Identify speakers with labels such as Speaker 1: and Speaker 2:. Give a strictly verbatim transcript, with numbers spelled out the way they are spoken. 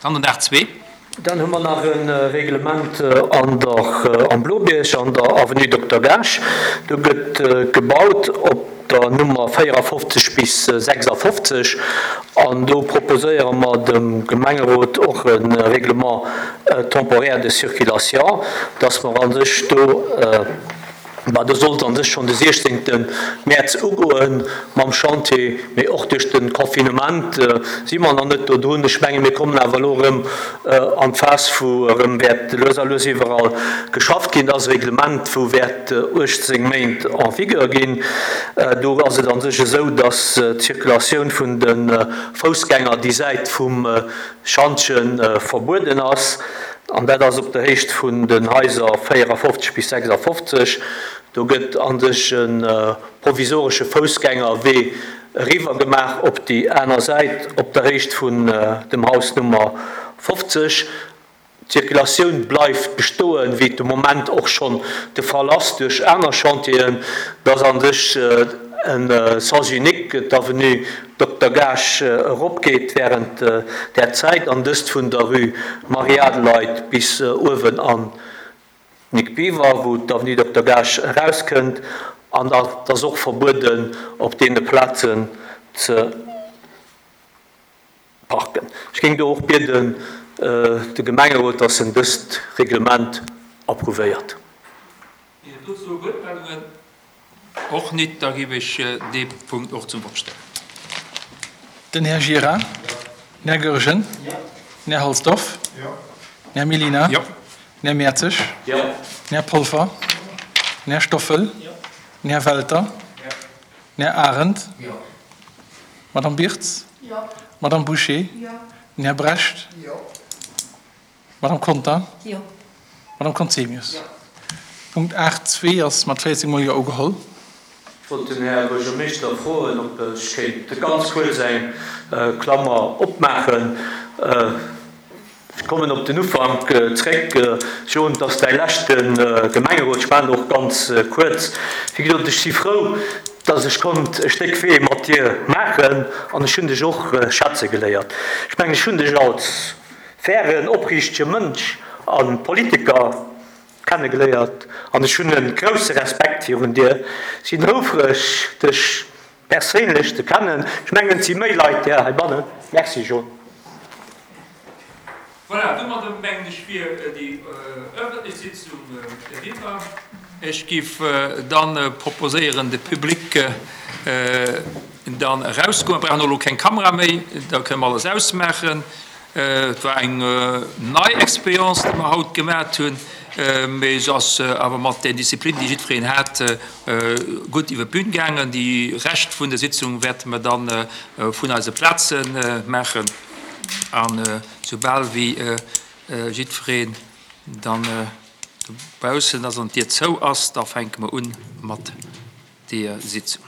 Speaker 1: Dann den aacht zwee.
Speaker 2: Dann hu mer nach e Reglement an der, am Blobierg an der Avenue Dokter Gaasch. Do gëtt gebaut op der Nummer véierafofzeg bis sechsafofzeg an do proposéiere mer dem Gemengerot och e Règlement temporaire de circulation, dass mer a sech do, bah, do sollt an sech schonn de siechzéngte Mäerz ugoe mam Chantier, mee och duerch de Confinement si mer nach net do drun. Ech menge mir kommen awer elo erëm an d'Phas, wou erëm wäert lues a lues iwwerall geschafft ginn. Dat ass e Reglement, wou wäert uechtzéng Méint en vigueur ginn. Do ass et an sech esou, dass d'Zirkulatioun vun de Foussgänger déi Säit vum Schantje verbueden ass. An dat ass op der Héicht vun den Haiser véierafofzeg bis sechsafofzeg. Do gëtt an sech e provisoresche Foussgängerwee eriwwer gemaach op déi aner Säit, op der Héicht vun dem Haus Nummer fofzeg. D'Zirkulatioun bleift bestoen, wéi et de Moment och schonn de Fall ass duerch aner Chantieren, dass an sech e Sens unique d'Avenue Dokter Gaasch eropgeet während där Zäit, an dëst vun der Rue Marie-Adelheid bis uewen an Nic Biver, wou d'Avenue Dokter Gaasch erauskënnt, an et ass och verbueden op deene Plazen ze parken. Ech géing do och bieden de Gemengerot, dass en dëst Reglement approuvéiert.
Speaker 1: Ginn et dozou Wuertmeldungen? Och nit. Da géif ech dee Punkt och zum Vott stellen.
Speaker 3: Den Här Gira. Den Här Goergen. Den Här Halsdorf. Den Här Mellina. Den Här Mertzig. Den Här Polfer. Den Här Stoffel. Den Här Welter. Den Här Arendt. D'Madame Birtz. D'Madame Bouché. Den Här Brecht. D'Madame Conter. D'Madame Conzemius. Punkt aacht zwee ass mat véierzéng Mol Jo ugeholl.
Speaker 2: Ech wollt den Här Buergermeeschter froen, ob ech kéint ganz kuerz eng Klammer opmaachen. Ech kommen op den Ufank zréck. Jean, et ass däi leschte Gemengerot. Ech maachen och ganz kuerz. Wéi gesot, ech si frou, dass ech konnt e Stéck Wee mat dir maachen an ech hunn dech och schätze geléiert. Ech mengen, ech hunn dech als fairen, opriichtege Mënsch a Politiker kennegeléiert an ech hunn e grousse Respekt virun dir. Sinn houfreg, dech perséinlech ze kennen. Ech mengen, et si méi Leit där heibannen. Merci, Jean.
Speaker 1: Voilà, domadder mengen ech wier déi ëffentlech Sitzung eriwwer. Ech géif dann proposéieren, de Public dann erausgoen. Mir brauchen och elo keng Kamera méi, da kënne mer alles ausmaachen. Et war eng nei Expérience, déi mer haut gemat hunn, mee se ass awer mat där Disziplin, déi jiddwereen hat, gutt iwwer d'Bün gaangen. Déi Rescht vun der Sitzung wäerte mer dann vun eise Plaze maachen. An soubal wéi jiddwereen dann dobaussen ass an d'Dier zou ass, da fänke mer un mat deeër Sitzung.